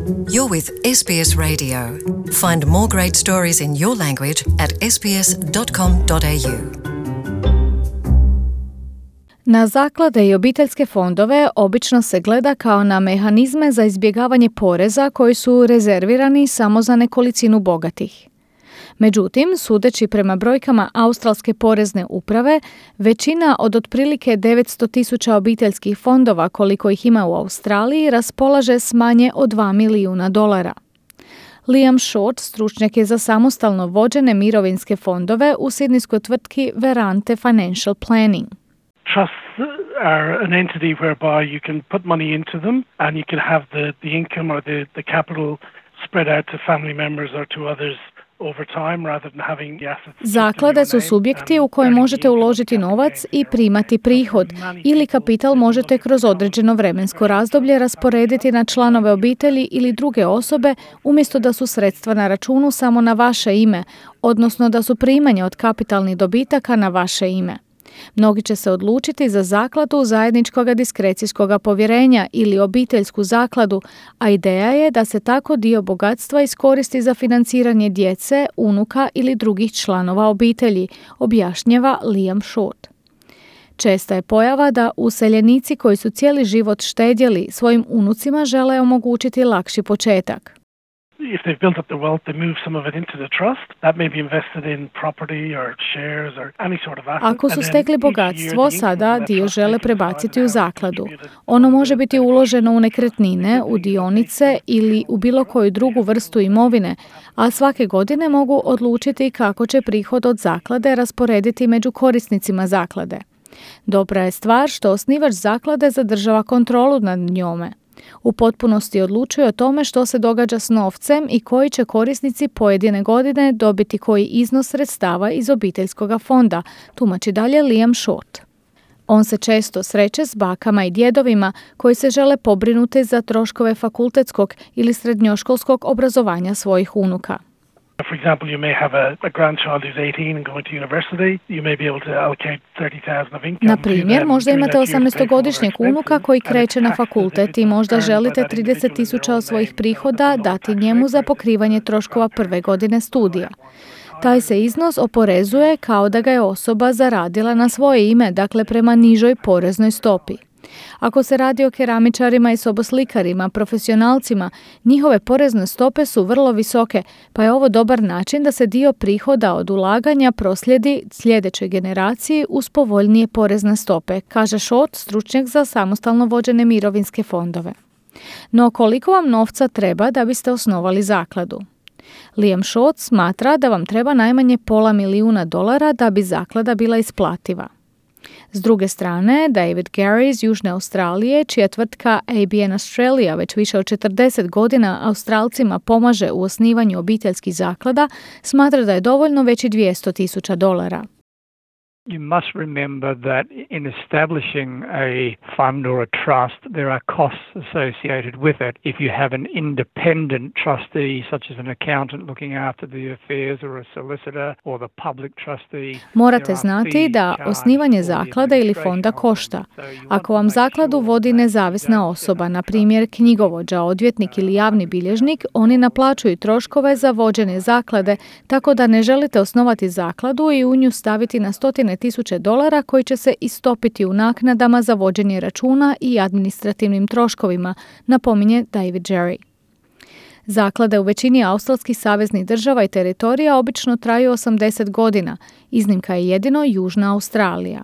You're with SBS Radio. Find more great stories in your language at sbs.com.au. Na zaklade i obiteljske fondove obično se gleda kao na mehanizme za izbjegavanje poreza koji su rezervirani samo za nekolicinu bogatih. Međutim, sudeći prema brojkama Australske porezne uprave, većina od otprilike 900.000 obiteljskih fondova koliko ih ima u Australiji raspolaže s manje od $2 milijuna. Liam Short, stručnjak je za samostalno vođene mirovinske fondove u sidnijskoj tvrtki Verante Financial Planning. Trusts are an entity whereby you can put money into them and you can have the income or the capital spread out to family members or to others over time rather than having the assets. Zaklade su subjekti u koje možete uložiti novac i primati prihod ili kapital možete kroz određeno vremensko razdoblje rasporediti na članove obitelji ili druge osobe umjesto da su sredstva na računu samo na vaše ime, odnosno da su primanja od kapitalnih dobitaka na vaše ime. Mnogi će se odlučiti za zakladu zajedničkog diskrecijskog povjerenja ili obiteljsku zakladu, a ideja je da se tako dio bogatstva iskoristi za financiranje djece, unuka ili drugih članova obitelji, objašnjava Liam Short. Česta je pojava da useljenici koji su cijeli život štedjeli svojim unucima žele omogućiti lakši početak. If they've built up the wealth, they move some of it into the trust. That may be invested in property or shares or any sort of asset. Ako su stekli bogatstvo, sada dio žele prebaciti u zakladu. Ono može biti uloženo u nekretnine, u dionice ili u bilo koju drugu vrstu imovine, a svake godine mogu odlučiti kako će prihod od zaklade rasporediti među korisnicima zaklade. Dobra je stvar što osnivač zaklade zadržava kontrolu nad njome. U potpunosti odlučuje o tome što se događa s novcem i koji će korisnici pojedine godine dobiti koji iznos sredstava iz obiteljskog fonda, tumači dalje Liam Short. On se često sreće s bakama i djedovima koji se žele pobrinuti za troškove fakultetskog ili srednjoškolskog obrazovanja svojih unuka. For example, you may have a grandchild who's 18 and going to university. You may be able to allocate 30,000 of income. Na primjer, možda imate 18-godišnjeg unuka koji kreće na fakultet i možda želite 30,000 od svojih prihoda dati njemu za pokrivanje troškova prve godine studija. Taj se iznos oporezuje kao da ga je osoba zaradila na svoje ime, dakle prema nižoj poreznoj stopi. Ako se radi o keramičarima i soboslikarima, profesionalcima, njihove porezne stope su vrlo visoke, pa je ovo dobar način da se dio prihoda od ulaganja proslijedi sljedećoj generaciji uz povoljnije porezne stope, kaže Short, stručnjak za samostalno vođene mirovinske fondove. No koliko vam novca treba da biste osnovali zakladu? Liam Short smatra da vam treba najmanje $500 milijuna da bi zaklada bila isplativa. S druge strane, David Gary iz Južne Australije, čija tvrtka ABN Australia već više od 40 godina Australcima pomaže u osnivanju obiteljskih zaklada, smatra da je dovoljno već i $200,000. You must remember that in establishing a fund or a trust, there are costs associated with it. If you have an independent trustee, such as an accountant looking after the affairs or a solicitor or the public trustee. Morate znati da osnivanje zaklade ili fonda košta. Ako vam zakladu vodi nezavisna osoba, na primjer knjigovođa, odvjetnik ili javni bilježnik, oni naplaćuju troškove za vođenje zaklade, tako da ne želite osnovati zakladu i u nju staviti na $100,000 koji će se istopiti u naknadama za vođenje računa i administrativnim troškovima, napominje David Jerry. Zaklade u većini australskih saveznih država i teritorija obično traju 80 godina. Iznimka je jedino Južna Australija.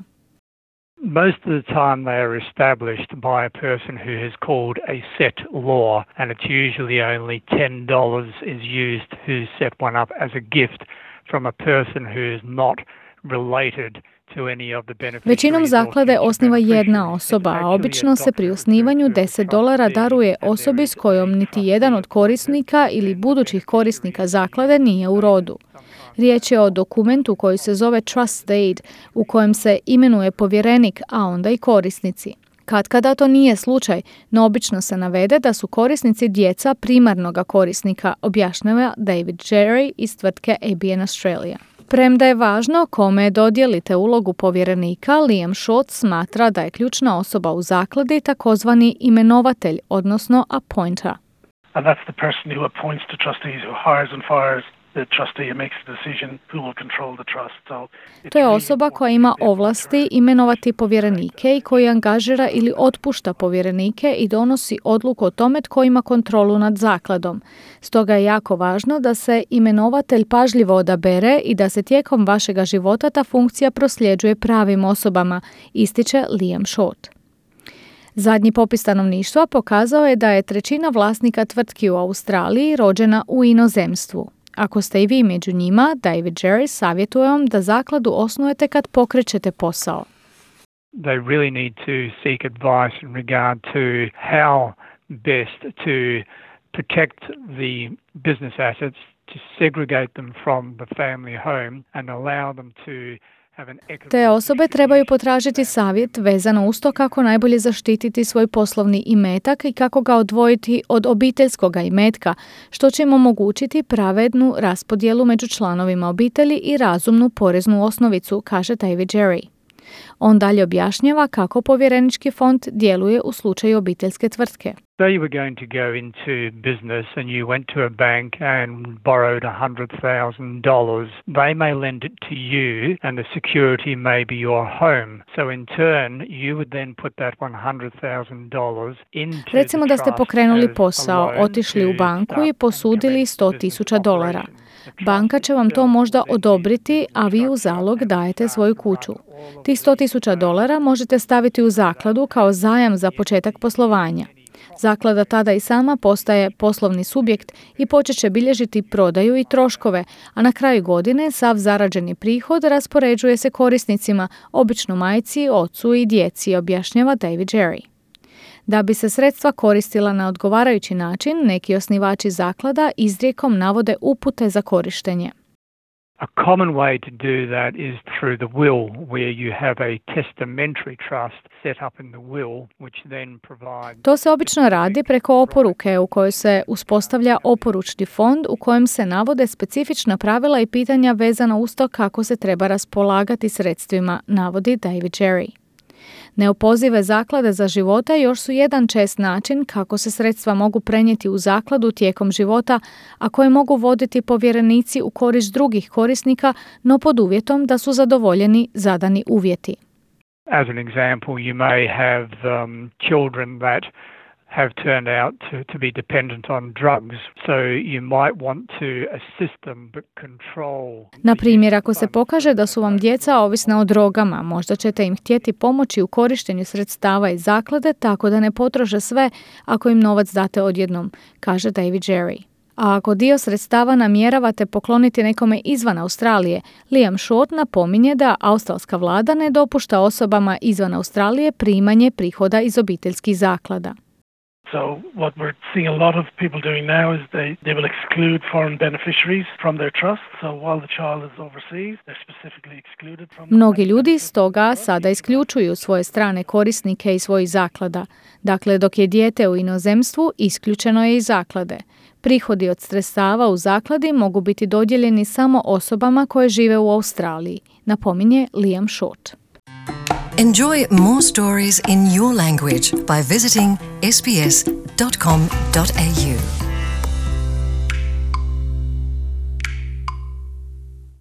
Most of the time they are established by a person who has called a set law, and it's usually only $10 is used to set one up as a gift from a person who is not related to any of the beneficiaries. Većinom zaklade osniva jedna osoba, a obično se pri osnivanju $10 daruje osobi s kojom niti jedan od korisnika ili budućih korisnika zaklade nije u rodu. Riječ je o dokumentu koji se zove Trust Deed, u kojem se imenuje povjerenik, a onda i korisnici. Katkada to nije slučaj, no obično se navede da su korisnici djeca primarnoga korisnika, objašnjava David Jerry iz tvrtke ABN Australia. Premda je važno kome dodijelite ulogu povjerenika, Liam Short smatra da je ključna osoba u zakladi takozvani imenovatelj, odnosno appointer. and that's the person who appoints the trustees, who hires and fires the trustee and makes the decision who will control the trust. To je osoba koja ima ovlasti imenovati povjerenike i koji angažira ili otpušta povjerenike i donosi odluku o tome tko ima kontrolu nad zakladom. Stoga je jako važno da se imenovatelj pažljivo odabere i da se tijekom vašega života ta funkcija prosljeđuje pravim osobama, ističe Liam Short. Zadnji popis stanovništva pokazao je da je 1/3 vlasnika tvrtki u Australiji rođena u inozemstvu. Ako ste i vi među njima, David Jerry savjetuje vam da zakladu osnujete kad pokrećete posao. They really need to seek advice in regard to how best to protect the business assets, to segregate them from the family home and allow them to Te osobe trebaju potražiti savjet vezano uz to kako najbolje zaštititi svoj poslovni imetak i kako ga odvojiti od obiteljskoga imetka, što će im omogućiti pravednu raspodjelu među članovima obitelji i razumnu poreznu osnovicu, kaže David Jerry. On dalje objašnjava kako povjerenički fond djeluje u slučaju obiteljske tvrtke. So you were going to go into business and you went to a bank and borrowed $100,000. They may lend it to you and the security may be your home. So in turn, you would then put that $100,000 into Recimo da ste pokrenuli posao, otišli u banku i posudili $100,000. Banka će vam to možda odobriti, a vi u zalog dajete svoju kuću. Tih $100,000 možete staviti u zakladu kao zajam za početak poslovanja. Zaklada tada i sama postaje poslovni subjekt i počet će bilježiti prodaju i troškove, a na kraju godine sav zarađeni prihod raspoređuje se korisnicima, obično majci, ocu i djeci, objašnjava David Jerry. Da bi se sredstva koristila na odgovarajući način, neki osnivači zaklada izrijekom navode upute za korištenje. A common way to do that is through the will, where you have a testamentary trust set up in the will, which then provides... To se obično radi preko oporuke u kojoj se uspostavlja oporučni fond u kojem se navode specifična pravila i pitanja vezana uz to kako se treba raspolagati sredstvima, navodi David Jerry. Neopozive zaklade za života još su jedan čest način kako se sredstva mogu prenijeti u zakladu tijekom života, a koje mogu voditi povjerenici u korist drugih korisnika, no pod uvjetom da su zadovoljeni zadani uvjeti. As an example, you may have children that have turned out to be dependent on drugs, so you might want to assist them but control. Na primjer, ako se pokaže da su vam djeca ovisna o drogama, možda ćete im htjeti pomoći u korištenju sredstava iz zaklade tako da ne potroše sve ako im novac date odjednom, kaže David Jerry. A ako dio sredstava namjeravate pokloniti nekome izvan Australije, Liam Short napominje da australska vlada ne dopušta osobama izvan Australije primanje prihoda iz obiteljskih zaklada. So what we're seeing a lot of people doing now is they will exclude foreign beneficiaries from their trust. So while the child is overseas, they're specifically excluded from... Mnogi ljudi stoga sada isključuju svoje strane korisnike iz svojih zaklada. Dakle, dok je dijete u inozemstvu, isključeno je iz zaklade. Prihodi od sredstava u zakladi mogu biti dodijeljeni samo osobama koje žive u Australiji, napominje Liam Short. Enjoy more stories in your language by visiting sbs.com.au.